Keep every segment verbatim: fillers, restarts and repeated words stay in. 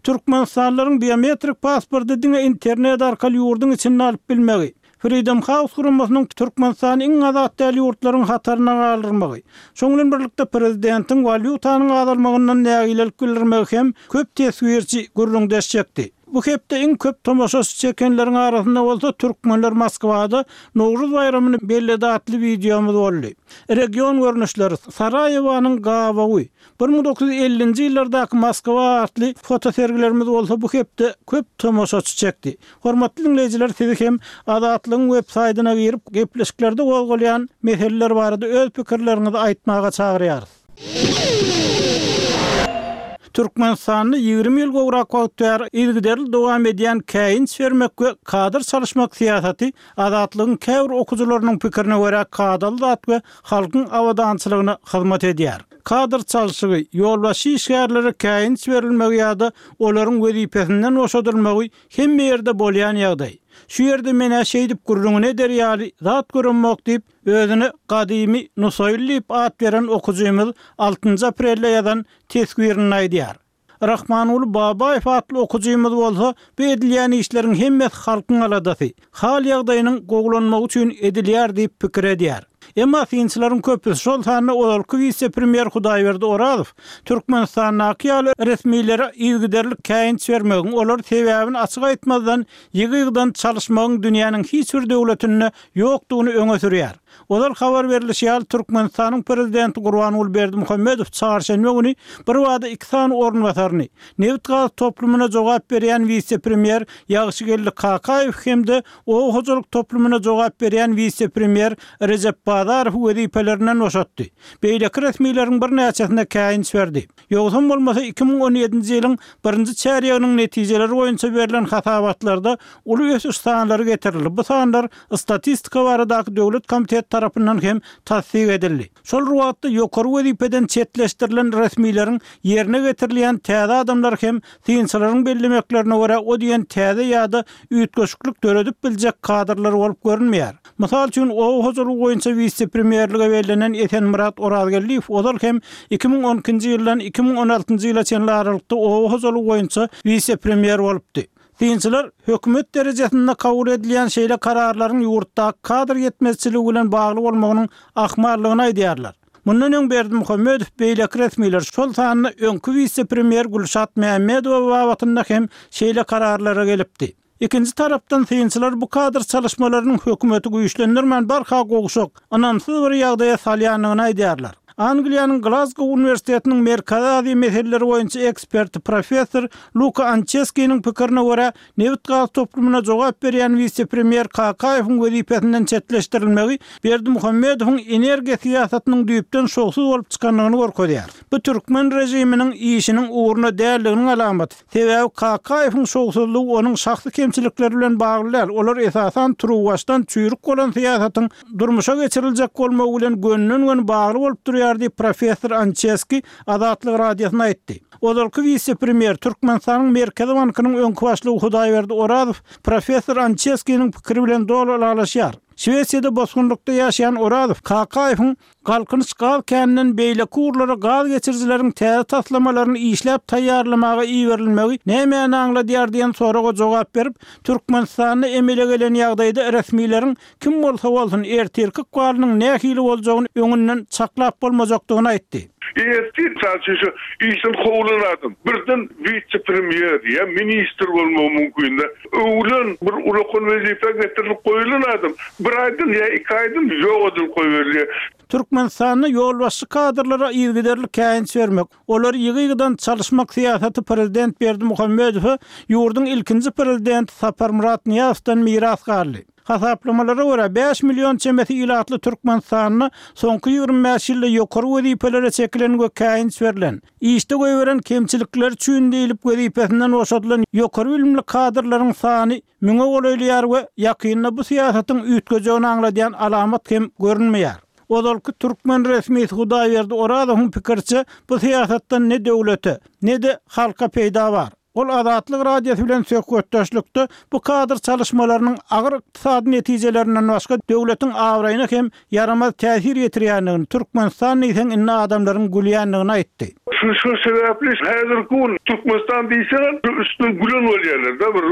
Türkmenistanlylaryň biometrik pasporty diňe internet arkaly ýurduň içinde alyp bilmegi, Freedom House guramasynyň Türkmenistany iň azat däl ýurtlaryň hataryna galdyrmagy, şonuň bilen birlikde prezidentiň walýutanyň azalmagyndan nägilelik bildirmegi hem köp teswirçi gürrüňdeş çekdi. Bu hepde iň köp tomaşaçy çekenleriň arasynda bolsa türkmenler Moskwada Nowruz baýramyny belledi atly wideomyz boldy. Region görnüşleri Saraýewanyň gabawy bir müň dokuz ýüz ellinji ýyllardaky Moskwa atly fotosergilerimiz bolsa bu hepde köp tomaşaçy çekdi. Hormatly dinleýjiler, sizi hem Azatlygyň web saýtyna girip gepleşiklerde gozgalýan meseleler barada öz pikirleriňizi aýtmaga çagyrýarys. Türkmenistanda ýigrimi ýyl gowrak wagt bäri yzygiderli dowam edýän käýinç bermek we kadr çalyşmak syýasaty Azatlygyň käbir okujylarynyň pikirine görä kadaly zat we halkyň abadançylygyna hyzmat edýär. Kadr çalşygy, ýolbaşçy işgärlere käýinç berilmegi ýa-da olaryň wezipesinden boşadylmagy hemme ýerde bolýan ýagdaý. Şu ýerde menä şeýdip gürrüňini eder ýaly zat görünmok diýip, özüne gadymy Nusaýly diýip at beren okujymyz altynjy aprelde ýazan teswirini aýdýar. Rahmanguly Babaýew atly okujymyz bolsa, bu edilýän işleriň hemmesi halkyň aladasy, hal ýagdaýynyň gowulanmagy üçin edilýär diýip pikir edýär. Emma synçylaryň köpüsi, şol sanda ozalky wise-premýer Hudaýberdi Orazow, Türkmenistandaky ýaly resmilere yzygiderli käýinç bermegiň, olar sebäbini açyk aýtmazdan ýygy-ýygydan çalyşmagyň dünýäniň hiç bir döwletinde ýokdugyny öňe sürýär. Ozal habar berlişi ýaly, Türkmenistanyň prezidenti Gurbanguly Berdimuhamedow çarşenbe güni birbada iki sany orunbasaryny, nebit-gaz toplumyna jogap berýän wise-premýer Ýagşygeldi Kakaýew hem-de oba hojalyk toplumyna jogap berýän wise-premýer Rejep Bazarow wezipelerinden boşatdy. Beýleki resmileriň birnäçesine käýinç berdi. Ýogsam bolmasa iki müň on ýedinji ýylyň birinji çärýeginiň netijeleri boýunça berlen hasabatlarda uly ösüş sanlary getirildi. Bu sanlar Statistika baradaky döwlet komiteti tarapyndan hem tassyk edildi. Şol bir wagtda ýokary wezipeden çetleşdirilen resmileriň ýerine getirilýän täze adamlar hem synçylaryň bellemeklerine görä o diýen täze ýa-da üýtgeşiklik döredip biljek kadrlar bolup görünmeýär. Mysal üçin, oba hojalygy boýunça wise-premýerlige bellenen Esenmyrat Orazgeldiýew ozal hem iki müň on ikinji ýyldan iki müň on altynjy ýyla çenli aralykda oba hojalygy boýunça wise-premýer bolupdy. Synçylar hökümet derejesinde kabul edilýän şeýle kararlaryň ýurtdaky kadr ýetmezçiligi bilen bagly bolmagynyň ahmallygyny aýdýarlar. Mundan öň Berdimuhamedow beýleki resmiler, şol sanda öňki wise-premýer Gülşat Mämmedowa babatynda hem şeýle kararlara gelipdi. Ikinji tarapdan synçylar bu kadr çalyşmalarynyň hökümeti güýçlendirmän barha gowşak, ynamsyz bir ýagdaýa salýandygyny aýdýarlar. Angliýanyň Glazgow uniwersitetiniň Merkezi Aziýa meseleleri boýunça eksperti professor Luka Ançeskiniň pikirine görä, nebit-gaz toplumyna jogap berýän wise-premýer Kakaýewiň wezipesinden çetleşdirilmegi Berdimuhamedowyň energiýa syýasatynyň düýpden şowsuz bolup çykandygyny görkezýär. Bu türkmen režiminiň işiniň ugruna däldiginiň alamaty. Sebäbi Kakaýewiň şowsuzlygy onuň şahsy kemçilikleri bilen bagly däl, olar esasan turuwbaşdan çüýrük bolan syýasatyň durmuşa geçiriljek bolmagy bilen gönden-göni bagly bolup durýar diýip, professor Ançeski Azatlyk Radiosyna aýtdy. Ozalky wise-premýer, Türkmenistanyň Merkezi bankynyň öňki başlygy Hudaýberdi Orazow professor Ançeskiniň pikiri bilen doly ylalaşýar. Şwesiýada bosgunlykda ýaşaýan Orazow Kakaýewiň Galkynyş gaz käninden beýleki ugurlara gaz geçirijileriň täze taslamalaryny işläp taýýarlamaga iberilmegi nämäni aňladýar diýen soraga jogap berip, Türkmenistanda emele gelen ýagdaýda resmileriň kim bolsa bolsun ertirki ykbalynyň nähili boljagyny öňünden çaklap bolmajakdygyny aýtdy. Ertir mysal üçin şu işden kowlan adam birden wise-premýer ýa ministr bolmagy mümkin-de. Öwülen bir ulakan wezipä getirilip goýulan adam bir aýdan ýa iki aýdan ýok edilip goýberilýär. Türkmenistanda ýolbaşçy kadrlara yzygiderli käýinç bermek, olary ýygy-ýygydan çalyşmak syýasaty prezident Berdimuhamedowa ýurduň ilkinji prezidenti Saparmyrat Nyýazowdan miras galdy. Hasaplamalara görä, bäş million çemesi ilatly Türkmenistanda soňky ýigrimi bäş ýylda ýokary wezipelere çekilen we käýinç berlen, işde goýberen kemçilikleri üçin diýlip wezipesinden boşadylan ýokary bilimli kadrlaryň sany müňe golaýlaýar we ýakynda bu syýasatyň üýtgejegini aňladýan alamat hem görünmeýär. Ozalky türkmen resmisi Hudaýberdi Orazowyň pikiriçe, bu syýasatdan ne döwlete, ne-de halka peýda bar. Ol Azatlyk Radiosy bilen söhbetdeşlikde bu kadr çalyşmalarynyň agyr ykdysady netijelerinden başga döwletiň abraýyna hem ýaramaz täsir ýetirýändigini, Türkmenistan diýseň indi adamlaryň gülýändigini aýtdy. Şu şu sebäpli häzirki gün Türkmenistan diýseň üstünden gülen bolýarlar-da, bir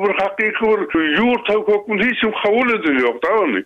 bir hakyky bir ýurt hökmünde hiç kim kabul edilýok-da ony.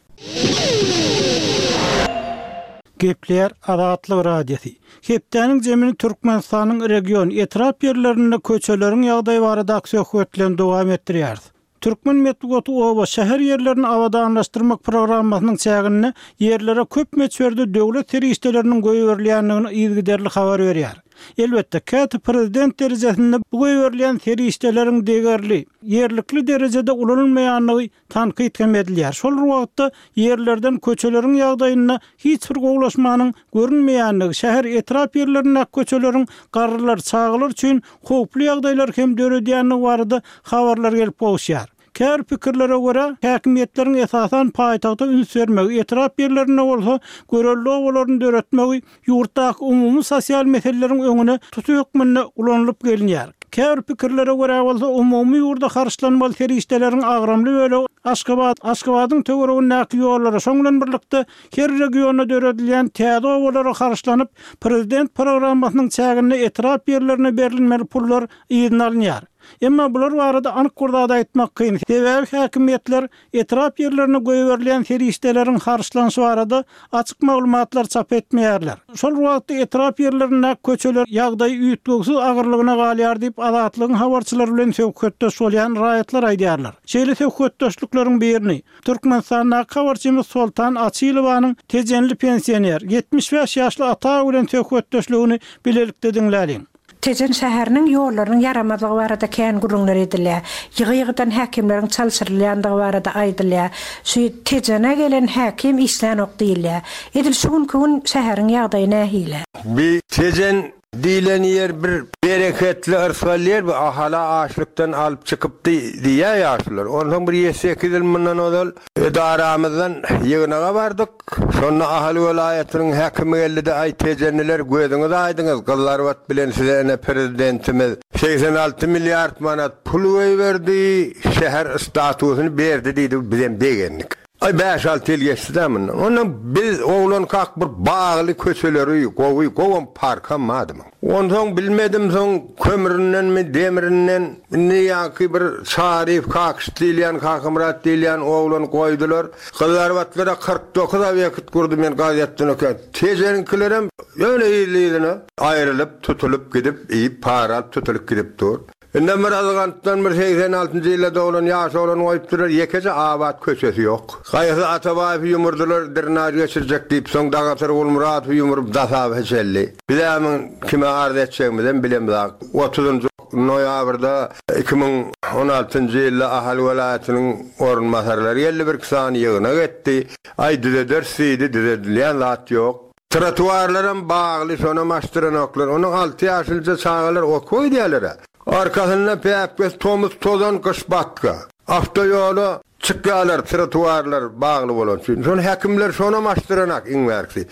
Gepleýär Azatlyk Radiosy. Hepdäniň jemini Türkmenistanyň region, etrap ýerlerinde köçeleriň ýagdaýy baradaky söhbet bilen dowam etdirýäris. Türkmen metbugaty oba, şäher ýerlerini abadanlaşdyrmak programmasynyň çäginde ýerlere köp möçberde döwlet serişdeleriniň goýberilýändigini yzygiderli habar berýär. Elbetde, käte prezident derejesinde bu goýberilýän serişdeleriň degerli, ýerlikli derejede ulanylmaýandygy tankyt hem edilýär. Şol bir wagtda ýerlerden köçeleriň ýagdaýynda hiç bir gowulaşmanyň görünmeýändigi, şäher, etrap ýerlerindäki köçeleriň garrylar, çagalar üçin howply ýagdaýlar hem döredýändigi barada habarlar gelip gowuşýar. Käbir pikirlere görä, häkimiýetleriň esasan paýtagta üns bermegi, etrap ýerlerinde bolsa görelde obalaryny döretmegi ýurtdaky umumy sosial meseleleriň öňüne tuty hökmünde ulanylyp gelinýär. Käbir pikirlere görä bolsa, umumy ýurda harçlanmaly serişdeleriň agramly bölegi Aşgabat, Aşgabadyň töweregindäki ýollara, şoň bilen birlikde her regionda döredilýän täze obalara harçlanyp, prezident programmasynyň çäginde etrap ýerlerine berilmeli pullar yzyna alynýar. Emma bular barada anyk bir zat aýtmak kyn. Sebäbi häkimiýetler etrap ýerlerine goýberilýän serişdeleriň harçlanyşy barada açyk maglumatlar çap etmeýärler. Şol wagtda etrap ýerlerindäki köçeler ýagdaýy üýtgewsiz agyrlygyna galýar diýip, Azatlygyň habarçylary bilen söhbetdeş bolýan raýatlar aýdýarlar. Şeýle söhbetdeşlikleriň birini Türkmenistandaky habarçymyz Soltan Açylowanyň tejenli pensioner, ýetmiş bäş ýaşly ata bilen söhbetdeşligini bilelikde diňläliň. Tejen şäheriniň ýollarynyň ýaramazlygy barada kän gürrüňler edilýär. Ýygy-ýygydan häkimleriň çalşyrylýandygy barada aýdylýar. Şu Tejene gelen häkim işlänok diýilýär. Edil şu günki gün şäheriň ýagdaýy nähili? Bi Tejen diýlen ýer bir bereketli yrsgal ýer, bu Ahala açlykdan alyp çykypdy diýýär ýaşulular. Onsoň bir ýedi-sekiz ýyl mundan ozal edaramyzdan ýygnaga bardyk. Şonda Ahal welaýatynyň häkimi geldi-de, Aý, tejenliler, gözüňiz aýdyňyz, Gyzlarbat bilen size ine prezidentimiz segsen alty milliard manat pul goýberdi, şäher statusyny berdi diýdi, bizem begendik. Aý, bäş-alty ýyl geçdi-dä mundan. Ondan biz oglankak bir bagly köçeleri, gowy, gowam parkam bardy muň. Onsoň bilmedim soň kömründenmi, demirinden, indi ýaňky bir Çaryýew Kakyş diýilýän, Kakamyrat diýilýän oglany goýdular. Gyzlarbatlara kyrk dokuz obýekt gurdy men gazetden okýan. Tejeniňkilerem ýöne yzly-yzyna aýrylyp, tutulyp gidip, iýip, para alyp tutulyp gidip dur. Indem bir Yzgantdan bir segsen altynjy ýylda doglan ýaş oglan goýupdyrlar, ýekeje abat köçesi ýok. Gaýgy Atabaýewi ýumurdylar, drenaž geçirjek diýip, soň Dagatar Gulmyradowy ýumuryp Dasaba çeldi. Biz-ä muň kime arz etjegimizem bilemzok. Otuzynjy noýabrda iki müň on altynjy ýylda Ahal welaýatynyň orunbasarlary geldi, birki sany ýygnak etdi. Aý, düzederis diýdi, düzedilýän zat ýok. Trotuarlaram bagly, şonam açdyranoklar. Onuň alty ýaşlyja çagalar okuwa gidýärler-ä. Arkasynda päpgesi tomus tozan, gyş batga. Awtoýola çykýarlar, trotuarlar bagly bolany üçin. Şony häkimler şonam açdyranak iň bärkisi.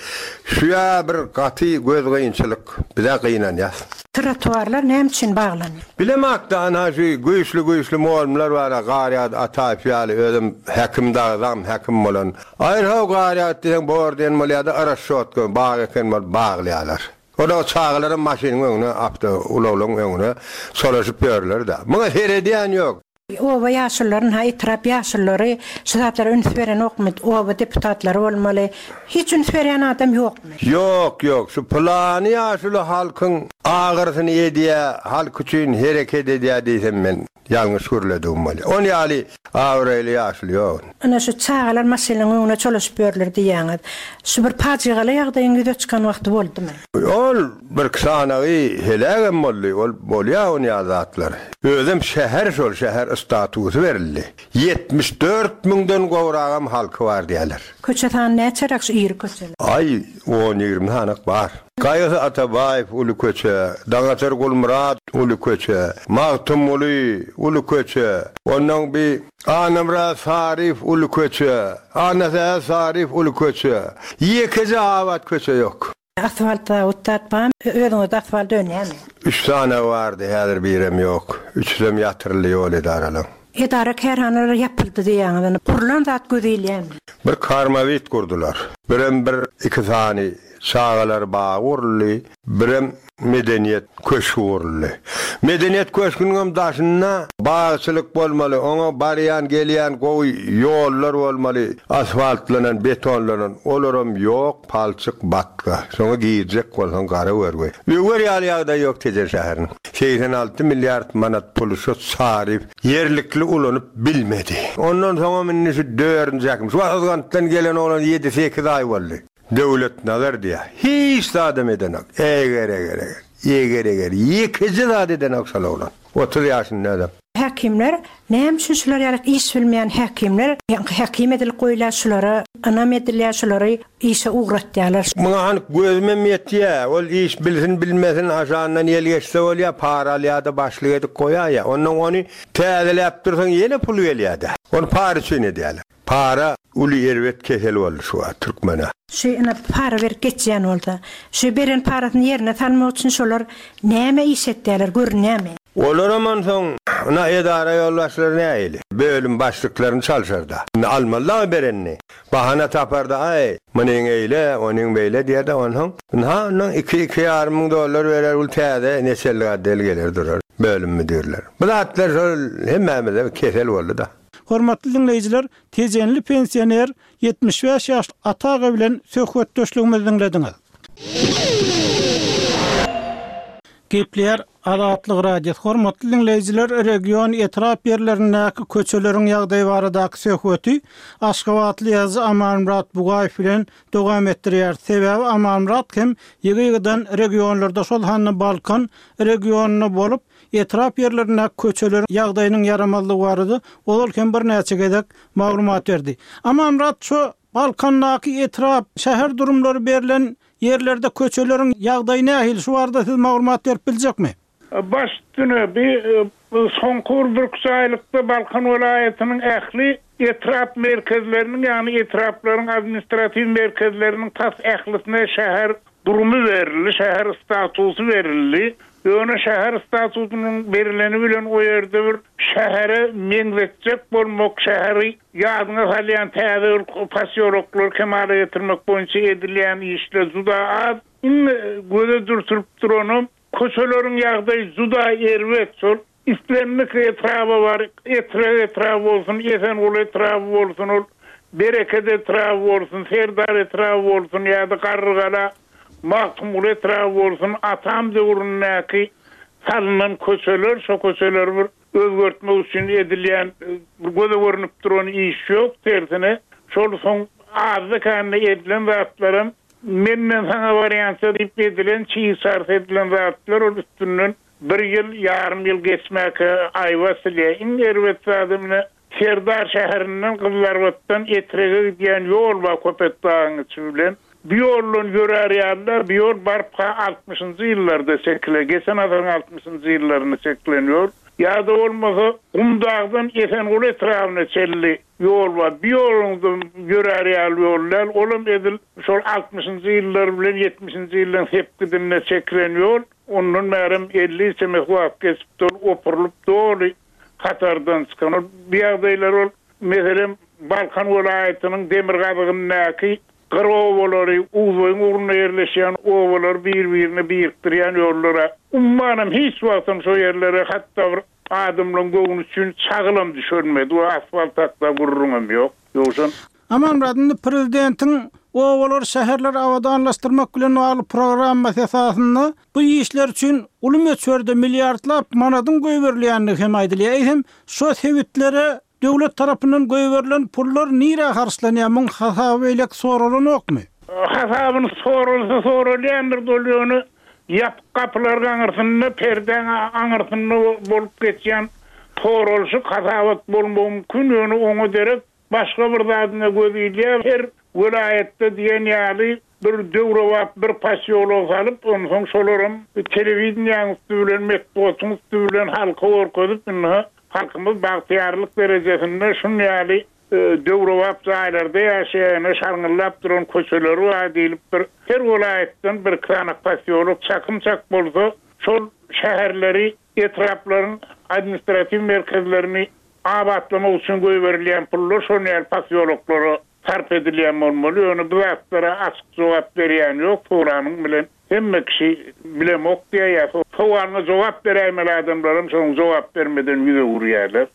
Şu-ýa bir gaty gözgynçylyk. Biz-ä gynanýas. Trotuarlar näme üçin baglanýar? Bilemok-da, ana şu güýçli-güýçli mugallymlar bar-a, Garýagdy Ataýew ýaly, özem häkim dagydam häkim bolan. Aýr-how Garýagdy diýseň bor diýen bolýar-da, rasçotka bag eken bolup baglaýarlar. Olar çagalaram maşynyň öňüne, awtoulaglaryň öňüne çolaşyp ýörler-de. Muňa seredýän ýok. Oba ýaşulularyny, ha etrap ýaşululary şu zatlara üns berenokmy? Oba deputatlary bolmaly. Hiç üns berýän adam ýokmy? Ýok, ýok. Şu pylany ýaşuly halkyň agyrysyny edýä, halk üçin hereket edýä diýsem men ýalňyş gürledigim bolýa. On ýaly abraýly ýaşuly ýok. Ine şu çagalar maşynyň öňüne çolaşyp ýörler diýýäňiz. Şu bir pajygaly ýagdaýyň ýüze çykan wagty boldumy? Ol birki sanagy helägem boldy, ol bolýa on ýaly zatlar. Özem şäher şol şäher statusy berildi. Ýetmiş dört müňden gowragam halky bar diýýärler. Köçe sany näçeräk şu iri köçeler? Aý, on-ýigrimi sanak bar. Gaýgy Atabaýew uly köçe, Daňatar Gulmyrat uly köçe, Magtymguly uly köçe, onnoň bi Annamyrat Saryýew uly köçe, Annasähet Saryýew uly köçe. Ýekeje abat köçe ýok. Asfalt zawod zat barmy? Özüňizde asfalt dönýärmi? Üç sany bardy, häzir birem ýok. Üçüsem ýatyryldy ýol edaralaň. Edara-kärhanalar ýapyldy diýýäňiz, indi gurlan zat göze ilýärmi? Bir karmawit gurdular. Birem bir iki sany çagalar bagy guruldy, birem medeniýet köşgi guruldy. Medeniýet köşgüniňem daşynda bagçylyk bolmaly, oňa barýan-gelýän gowy ýollar bolmaly, asfaltlanan, betonlanan, olaram ýok, palçyk, batga. Şoňa girjek bolsaň gara görgü. Öwer ýaly ýagdaý ýok Tejen şäheriniň. Segsen alty milliard manat puly şu Saryýew ýerlikli ulanyp bilmedi. Ondan soňam indi şu dördünji häkim, şu wagt Yzgantdan gelen oglan ýedi-sekiz aý boldy. Döwletnazar diýýär. Hiç zadam edenok. Eger-eger-eger. Eger-eger. Ýekeje zat edenok şol oglan. Otuz ýaşynda adam. Häkimler, näme üçin şular ýaly iş bilmeýän häkimler, ýaňky häkim edilip goýulýar, şulara ynam edilýär, şulary işe ugratýarlar. Muňa anyk gözümem ýetýär. Ol iş bilsin bilmesin aşandan ýel geçse bolýar, para alýar-da başlyk edip goýaýar. Ondan ony täzeläp dursaň ýene pul gelýär-de. Ony para üçin edýärler. Para uly erbet kesel boldy şu wagt türkmene. Şu ine para berip geçýän bolsa, şu beren parasyny ýerine salmak üçin şolar näme iş etýärler, görünýärmi? Olaram onsoň ina edara ýolbaşçylary nähili? Bölüm başlyklaryny çalşarda. Indi almaly-da berenini. Bahana taparda, aý, munyň eýle, onuň beýle diýer-de, onsoň ynha ondan iki, iki ýarym müň dollar berer, ol täze neçellik otdel geler durar, bölüm müdirleri. Bu zatlar şol hemmämize kesel boldy-da. Hormatly diňleýjiler, Tejenli pensioner ýetmiş bäş ýaşly Ata aga bilen söhbetdeşligimizi diňlediňiz. Gepleýär Azatlyk Radiosy. Hormatly diňleýjiler, region etrap ýerlerindäki köçeleriň ýagdaýy baradaky söhbeti Aşgabatly ýazyjy Amanmyrat Bugaýew bilen dowam etdirýär. Sebäbi Amanmyrat hem ýygy-ýygydan regionlarda, şol sanda Balkan regionynda bolup, etrap ýerlerindäki köçeleriň ýagdaýynyň ýaramazlygy barada ozal hem birnäçe gezek maglumat berdi. Amanmyrat, şu Balkandaky etrap, şäher durumlary berlen ýerlerde köçeleriň ýagdaýy nähili? Şu barada siz maglumat berip biljekmi? Baş üstüne bir, soňky bir üç aýlykda Balkan welaýatynyň ähli etrap merkezleriniň, ýagny etraplaryň administratiw merkezleriniň tas ählisine şäher durumy berildi, şäher statusy berildi. Ýöne şäher statusynyň berileni bilen o ýerde bir şähere meňzetjek bolmak, şäheri ýadyňa salýan täze bir posýoloklar kemala getirmek boýunça edilýän işler juda az. Iň göze dürtülip duranam köçeleriň ýagdaýy juda erbet. Şol islendik etraba bar, Etrek etraby bolsun, Esenguly etraby bolsun, ol Bereket etraby bolsun, Serdar etraby bolsun ýa-da Garrygala, Magtymguly etraby bolsun, atam döwründäki salynan köçeler, şo köçeleri bir özgertmek üçin edilýän bir göze görnüp duran iş ýok, tersine şol soň azda-kände edilen zatlaram menden saňa barýança diýip edilen, çiğ çarp edilen zatlar ol üstünden bir ýyl, ýarym ýyl geçmäge aýba silýär. Iň erbet zady mine Serdar şäherinden Gyzlarbatdan Etrege gidýän ýol bar Köpetdagyň içi bilen. Bir ýoldan ýörär ýalylar, bir ýol baryp ha altmyşynjy ýyllarda çekile, geçen asyryň altmyşynjy ýyllarynda çekilen ýol. Ýa-da bolmasa Gumdagdan Esenguly etrabyna çenli ýol bar. Bir ýoldan ýörär ýaly ýol däl, olam edil şol altmyşynjy ýyllar bilen ýetmişinji ýyllaryň sepgidinde çekilen ýol. Ondan bärem elli çemesi wagt geçip dur, opurylyp doly hatardan çykan. Ol bir ýagdaýlar ol, meselem, Balkan welaýatynyň demirgazygyndaky gyr obalary, Uzboýuň ugrunda ýerleşýän obalary bir-birine birikdirýän ýollara ummanam hiç wagtam şo ýerlere hatda bir adamlaryň göwni üçin çagylam düşürmedi we asfalt hakda gürrüňem ýok. Ýogsa Amanmyrat, indi prezidentiň obalar, şäherleri abadanlaşdyrmak bilen bagly programmasy esasynda bu işler üçin uly möçberde milliardlap manadyň goýberilýändigi hem aýdylýar. Eýsem, şo sebitlere döwlet tarapyndan goýberilen pullar nirä harçlanýar? Muň hasaby beýlek soralanokmy? Hasabyny soralsa soralýandyr, ol ýöne ýapyk gapylar aňyrsynda, perdäň aňyrsynda bolup geçýän soralyşyk hasabat bolmagy mümkin, ýöne oňa derek başga bir zadyna göz ilýär. Her welaýatda diýen ýaly bir döwrebap bir posýolok salyp, onsoň şolaram telewideniýäň üstü bilen, metbugatyň üstü bilen halka görkezip, indi halkymyz bagtyýarlyk derejesinde şun ýaly Döwrebap jaýlarda ýaşaýan, şarňyllap duran köçeleri bar diýlip bir her welaýatdan bir iki sany posýolok çakym-çak bolsa, şol şäherleri, etraplaryň administratiw merkezlerini abatlamak üçin goýberilýän pullar şol ýaly posýoloklara sarp edilýän bolmaly. Ýöne bu zatlara açyk jogap berýän ýok, soranyň bilen hemme kişi bilemok diýýär. Sowalyna jogap beräýmeli adamlaram şonuň jogap bermeden ýüz öwürýärler.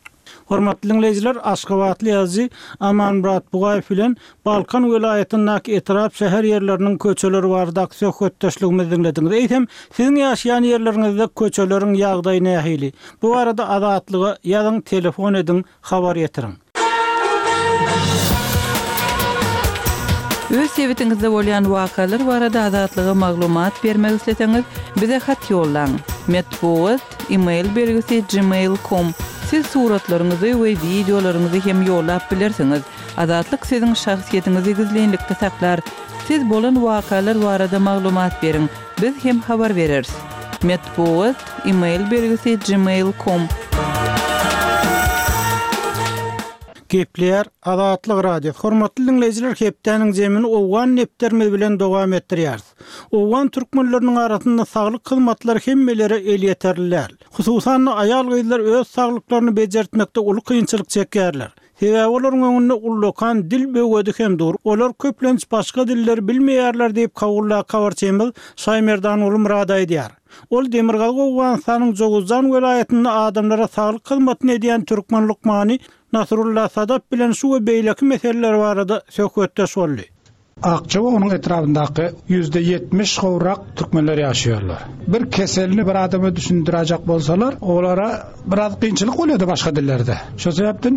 Hormatly diňleýjiler, Aşgabatly ýazyjy Amanmyrat Bugaýew bilen Balkan welaýatyndaky etrap şäher ýerleriniň köçeleri baradaky söhbetdeşligimizi diňlediňiz. Eýsem, siziň ýaşaýan ýerleriňizde köçeleriň ýagdaýy nähili? Bu barada Azatlyga ýazyň, telefon ediň, habar ýetiriň. Öz sebitiňizde bolýan wakalar barada Azatlyga maglumat bermek isleseňiz, bize hat ýollaň. Metbugat, e-mail belgisi gmail nokta com. Siz suratlaryňyzy we wideolaryňyzy hem ýollap bilersiňiz. Azatlyk siziň şahsyýetiňizi gizlinlikde saklar. Siz bolan wakalar barada maglumat beriň. Biz hem habar bereris. Metbugat, e-mail belgisi gmail nokta com. Gepleýär Azatlyk Radio. Hormatly diňleýjiler, hepdäniň zemini Owgan nepterimiz bilen dowam etdirýäris. Owgan türkmenleriniň arasynda saglyk hyzmatlary hemmelere elýeterli däl. Hususan aýal-gyzlar öz saglyklaryny bejertmekde uly kynçylyk çekýärler. Sebäbi olaryň öňünde ullakan dil böwedi hem dur. Olar köplenç başga dilleri bilmeýärler diýip Kabulda habarçymyz Şaýmerdan Ulumrad aýdýar. Ol Demirgazyk Owganystanyň Jowuzjan welaýatynda adamlara saglyk hyzmatyny edýän türkmen lukmany Nasrullah Sadap bilen şu we beýleki meseleler barada söhbetdeş boldy. Akçawa onuň etrabyndaky ýüzde ýetmiş gowrak türkmenler ýaşaýarlar. Bir keselini bir adama düşündirjek bolsalar, olara biraz kynçylyk bolýardy başga dillerde. Şo sebäpden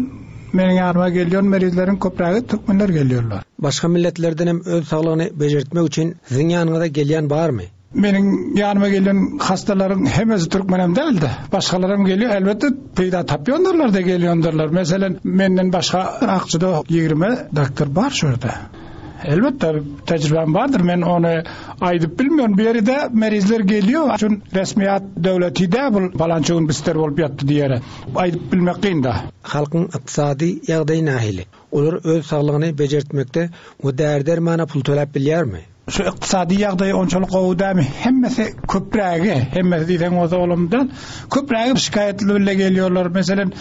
meniň ýanyma gelýän merizleriň köprägi türkmenler gelýärler. Başga milletlerden hem öz saglygyny bejertmek üçin siziň ýanyňyza gelýän barmy? Meniň ýanyma gelen hastalaryň hemmesi türkmenem däldi. Başgalaram gelýär, elbetde peýda tapýanlar da gelýändirler. Meselem, menden başga Akçada ýigrimi doktor bar şu ýerde. Elbetde tejribem bardyr. Men ony aýdyp bilmiyorum. Bir ýerde merizler gelýär. Çün resmiýat döwleti de bu palança gün bister bolup ýatdy diýere. Aýdyp bilmek kyn da. Halkyň ykdysady ýagdaýy nähili? Olar öz saglygyny bejertmekde we däri-dermana pul töläp bilýärmi? Şu ykdysady ýagdaýy onçalyk gowy dämi? Hemmesi köprägi, hemmesi diýseň bolsa olamdan köprägi şikaýatly bile gelýärler. Meselem,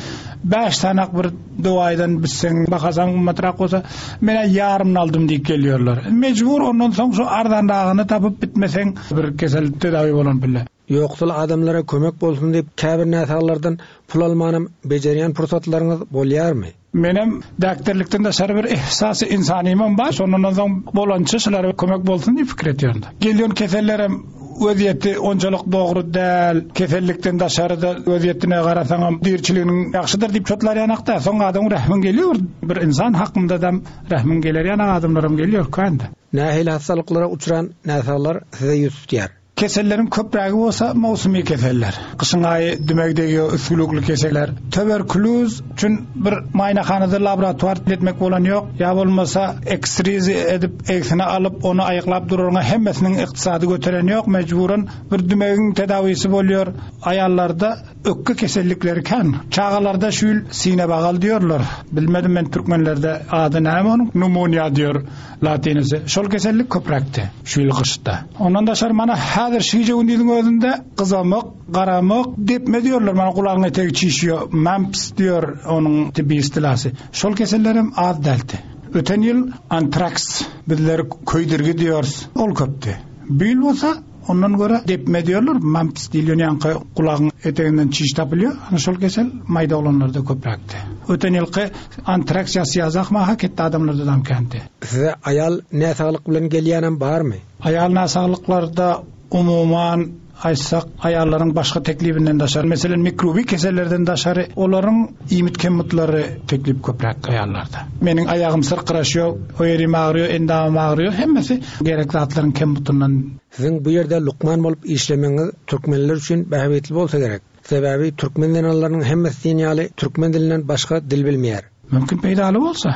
bäş sanak bir duaýdan bitseň, bakasaň ummatrak bolsa, men ýarymyny aldym diýip gelýärler. Mejbur ondan soň şu arzanragyny tapyp bitmeseň bir kesel tedawi bolan bile. Ýoksul adamlara kömek bolsun diýip käbir näsaglardan pul almanam bejerýän pursatlaryňyz bolýarmy? Menem doktorlukdan daşary bir ihsasy insanymam bar. Şondan soň bolança şulara kömek bolsun diýip pikir etýärdim. Gelýän kesellerim özýeti onçalyk dogry däl. Kesellikden daşary da özýetine garasaňam dirçiliginiň ýagşydyr diýip çotlar ýanakda. Soň adam rehmin geliyor. Bir insan hakynda da rehmin geler ýana adamlaram geliyor kände. Nähili hastalyklara uçran näsaglar size ýüz tutýar? Keselleriň köprägi bolsa mowsumy keseller. Gyşyň aýy dümek degýär, üsgülükli keseller. Tuberkuloz üçin bir maýnahanada laboratuar etmek bolan ýok. Ýa bolmasa eksrizi edip egsine alyp ony aýyklap dururňa hemmesiniň ykdysady göteren ýok. Mejburan bir dümegiň tedawisi bolýar. Aýallarda ökke kesellikleri kän. Çagalarda şu ýyl sine bagal diýorlar. Bilmedim men türkmenlerde ady näme onuň? Pneumonia diýor latinisi. Şol kesellik köpräkdi şu ýyl gyşda. Ondan daşary mana häzir şije gündiziň özünde gyzamak, garamak depme diýorlar. Mana gulagyň etegi çişiyor, mumps diýor onuň tibbi istilasy. Şol kesellerim az däldi. Öten ýyl antraks bizler köýdürgi diýoruz. Ol köpdi. Bu ýyl bolsa ondan görä depme diýorlar, mumps diýilýän ýaňky gulagyň eteginden çiş tapylýar. Ana şol kesel maýda oglanlarda köpräkdi. Öten ýylky antraks ýasy maha ketdi adamlarda dam kändi. Size aýal näsaglyk bilen gelýänem barmy? Aýal näsaglyklarda umuman aýtsak aýallaryň başga teklibinden daşary, meselem mikrobi kesellerden daşary olaryň iýmit kemmutlary teklip köpräk aýallarda. Meniň aýagym syrkyraşýar, o ýerim agryýar, endamym agryýar, hemmesi gerek zatlaryň kemmutundan. Siziň bu ýerde lukman bolup işlemegiňiz türkmenler üçin bähbitli bolsa gerek. Sebäbi türkmen zenanlarynyň hemmesi diýen ýaly türkmen dilinden başga dil bilmeýär. Mümkin peýdaly bolsa.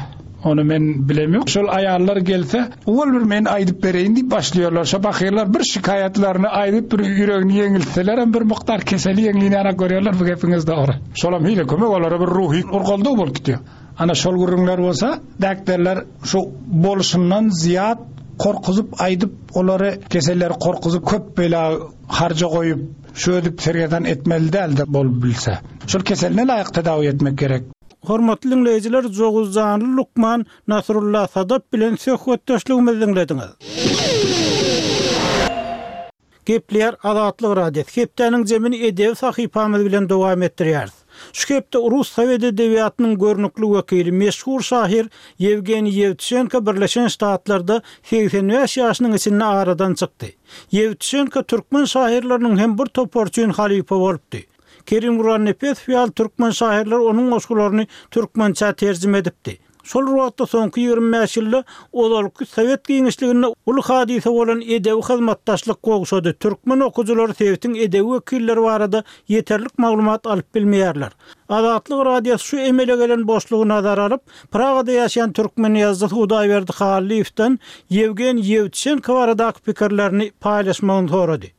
Onu men bilemiyorum. Şol aýallar gelse, ol bir men aýdyp bereýin diýip başlaýarlar. Şo bakyrlar bir şikaýatlaryny aýdyp bir ýüregini ýeňiltseler hem bir mukdar keseli ýeňlini görýärler bu gepiňiz dogry. Şolam hile kömek olara bir ruhy urgaldy bolup gitýär. Ana şol gürrüňler bolsa, däkderler şu bolşundan zyýat korkuzyp aýdyp, olary keselleri korkuzyp köp bela harja goýup, şu edip sergezdan etmeli däldi bolup bilse. Şol keseline laýyk tedawi etmek gerek. Hormatly dinleýjiler, Joguzjanly lukman Nasrullah Sadap bilen söhbetdeşligimizi diňlediňiz. Gepleýär Azatlyk Radiosy. Hepdäniň jemini edebi sahypamyz bilen dowam etdirýäris. Şu hepde Rus Sowet edebiýatynyň görnükli wekili, meşhur şahyr Ýewgeniý Ýewtuşenko Birleşen Ştatlarda segsen bäş ýaşynyň içinde aradan çykdy. Ýewtuşenko türkmen şahyrlarynyň hem bir topary üçin halypa bolupdy. Kerim Gurbannepesow ýaly türkmen şahyrlary onuň goşgularyny türkmençä terjime edipdi. Şol wagtda soňky ýigrimi bäş ýylda ozalky sowet giňişliginde uly hadysa bolan edebi hyzmatdaşlyk gowşady. Türkmen okujylary sebitiň edebi wekilleri barada ýeterlik maglumat alyp bilmeýärler. Azatlyk Radiosy şu emele gelen boşlugy nazara alyp, Pragada ýaşaýan türkmen ýazyjysy Hudaýberdi Hallyýewden Ýewgeniý Ýewtuşenko baradaky pikirlerini paýlaşmagyny sorady.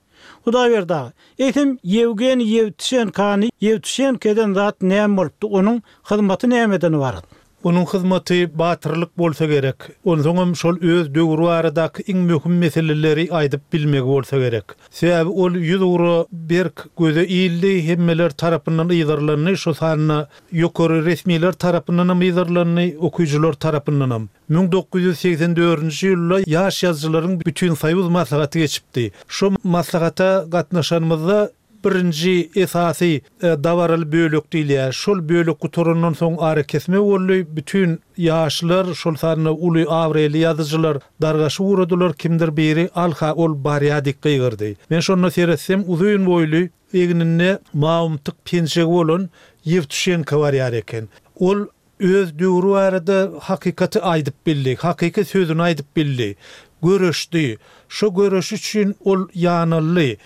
Hudaýberdi aga, eýsem Ýewgeniý Ýewtuşenkony Ýewtuşenko eden zat näme bolupdy? Onuň hyzmaty nämeden ybarat? Onuň hyzmaty batyrlyk bolsa gerek. Onsoňam şol öz döwri baradaky iň möhüm meseleleri aýdyp bilmegi bolsa gerek. Sebäbi ol ýüz ugra berk göze ildi, hemmeler tarapyndan yzarlandy, şo sanda ýokary resmiler tarapyndanam yzarlandy, okyjylar tarapyndanam. Müň dokuz ýüz segsen dördünji ýylda ýaş ýazyjylaryň bütün soýuz maslahaty geçipdi. Şo maslahata gatnaşanymyzda birinji esasy, e, dabaraly bölek diýilýär. Şol bölek gutarandan soň ara kesme boldy. Bütün ýaşlar, şol sanda uly abraýly ýazyjylar dargaşy ugradylar. Kimdir biri alha ol barýa dik gygyrdy. Men şonda seretsem uzyn boýly, egninde mawumtyk penjegi bolan Ýewtuşenko barýar eken. Ol öz döwri barada hakykaty aýdyp bildi, hakyky sözüni aýdyp bildi. Göreşdi. Şo göreş üçin ol ýanaldy.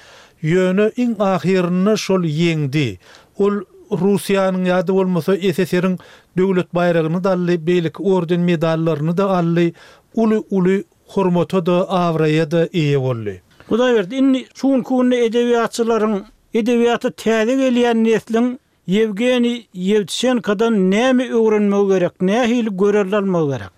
Ýöne iň ahyrynda şol ýeňdi. Ol Russiýanyň ýa-da bolmasa S S R-iň döwlet baýragyny da aldy, beýleki orden medallaryny da aldy. Uly-uly hormata da, abraýa da eýe boldy. Hudaýberdi, indi şu günki günde edebiýatçylaryň edebiýata täze gelýän nesliň Ýewgeniý Ýewtuşenkodan näme öwrenmegi gerek, nähili görelde almagy gerek?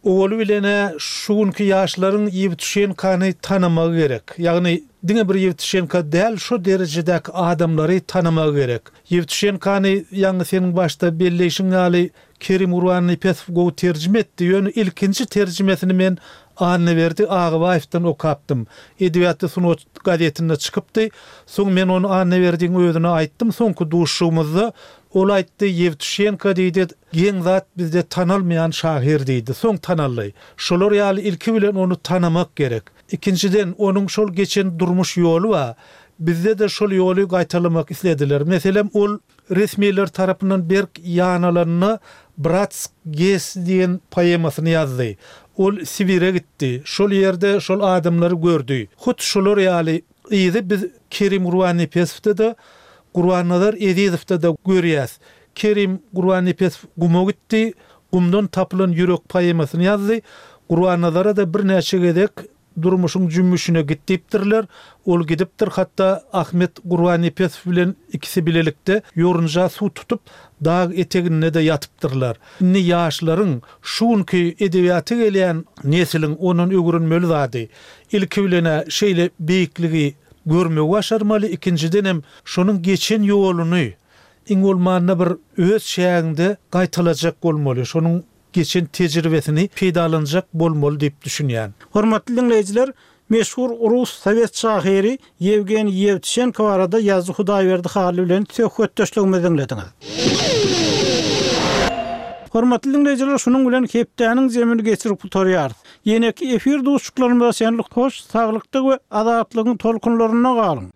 Owaly bilene şu günki ýaşlaryň Ýewtuşenkony tanamagy gerek. Ýagny diňe bir Ýewtuşenko däl, şu derejedäki adamlary tanamagy gerek. Ýewtuşenkony ýaňy seniň başda belleýşiň ýaly Kerim Gurbannepesow gowy terjime etdi. Ýöne ilkinji terjimesini men Annaberdi Agabaýewden okapdym. Edebiýatda sungat gazetinde çykypdy. Soň men ony Annaberdiň özüne aýtdym. Soňky duşuşygymyzda ol aýtdy, Ýewtuşenko diýdi, geň zat bizde tanalmaýan şahyr diýdi. Soň tanaldy. Şolar ýaly ilki bilen ony tanamak gerek. Ikinjiden onuň şol geçen durmuş ýoly bar. Bizde de şol ýoly gaýtalamak islediler. Meselem, ol resmiler tarapyndan berk ýanalanyna Bratsk Ges diýen poemasyny ýazdy. Ol Sibire gitdi. Şol ýerde şol adamlary gördi. Hut şolar ýaly yzy biz Kerim Gurbannepesowda da, Gurbannazar Ezizowda da görýäs. Kerim Gurbannepesow guma gitdi, gumdan tapylan ýürek poemasyny ýazdy. Gurbannazara da birnäçe gezek durmuşyň jümmüşine git diýipdirler. Ol gidipdir, hatda Ahmet Gurbannepesow bilen ikisi bilelikde ýorunja suw tutup dag eteginde de ýatypdyrlar. Indi ýaşlaryň şu günki edebiýata gelýän nesliň ondan öwrenmeli zady. Ilki bilen şeýle beýikligi görmegi başarmaly, ikinjiden hem şonuň geçen ýoluny iň bolmanda bir öz şäginde gaýtalajak bolmaly. Şonuň geçen tejribesini peýdalanjak bolmaly diýip düşünýän. Hormatly dinleýjiler, meşhur rus sowet şahyry Ýewgeniý Ýewtuşenko barada ýazyjy Hudaýberdi Hally bilen söhbetdeşligimizi diňlediňiz. Hormatly dinleýjiler, şunuň bilen hepdäniň jemini geçirip gutarýarys. Ýeneki efir duşuşyklarymyza şenlik hoş, saglykda we azatlygyň tolkunlarynda galyň.